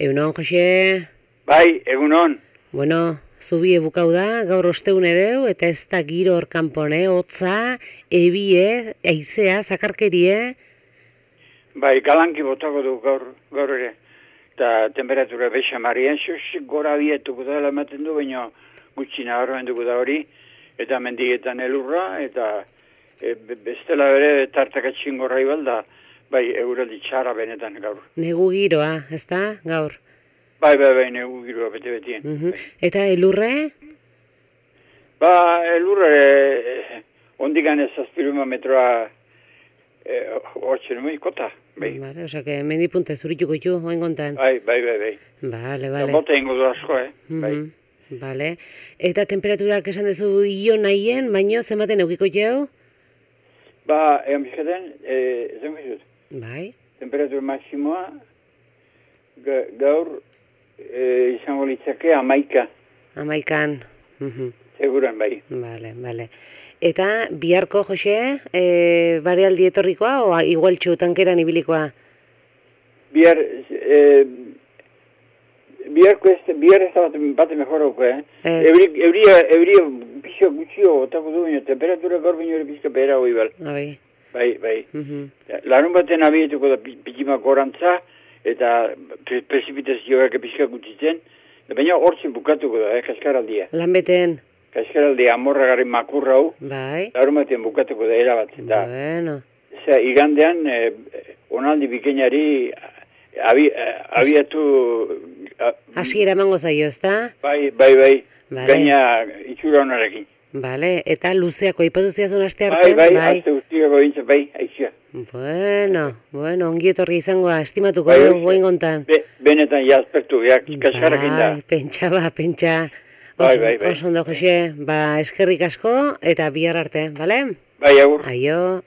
Egunon, Jose? Bai, egunon. Bueno, zubi ebukau da, gaur osteune deu, eta ez da giro hor kanpone, hotza, ebie, aizea, zakarkerie. Bai, galanki botako du gaur ere. Eta temperatura beixa marien, xosik gora bietuko da ematen du, baina gutxi nabarmen dugu da hori. Eta mendietan elurra, eta bestela bere tartakatxin gorra ibalda, bai, euraldi txara benetan gaur. Negu giroa, ez da, gaur? Bai, negu giroa bete-betien. Eta elurre? Ba, elurre, ondikan ez azpiruma metroa hortzen nuen kota, bai. Vale, osa que mendipunte zurituko itu, oen kontan. Bai. Vale. Eta bota ingo du asko, bai. Vale. Eta temperaturak esan dezu io nahien, baino zenbaten eukiko jau? Ba, egan bizkaten, zen bizut. Bai. Temperatura maksimoa gaur izango litzake 11. 11. Seguran, bai. Vale. Eta biharko, Jose, barealdi etorrikoa o igual txutankeran ibilikoa? Bihar ez da bate mejoroko, Euria pixo gutxio otako du, temperatura gaur baino ere pixka behera hoi bal. Bai. Larun baten abietuko da pikimak gorantza, eta prezipitazioak pixka gutxitzen, baina hortzen bukatuko da, kaskaraldia. Lanbeten? Kaskaraldia amorragarri makurra hau, Bai. larun baten bukatuko da erabatzen da. Bueno. Igandean, onaldi bikainari abiatu... Hasiera emango zaio, ez da? Bai. Vale. Gaina itxura honarekin. Vale, eta luzeako ipatu ziazun aste artean? Bai, aste guztiako bintza, bai, aixia. Bueno, ongi etorri izangoa, estimatuko dugu goin gontan. Benetan jazpertu, kaskarrakin da. Bai, pentsa. Bai. Oso ondo, Jose, eskerrik asko, eta bihar arte, bale? Bai, agur. Aio.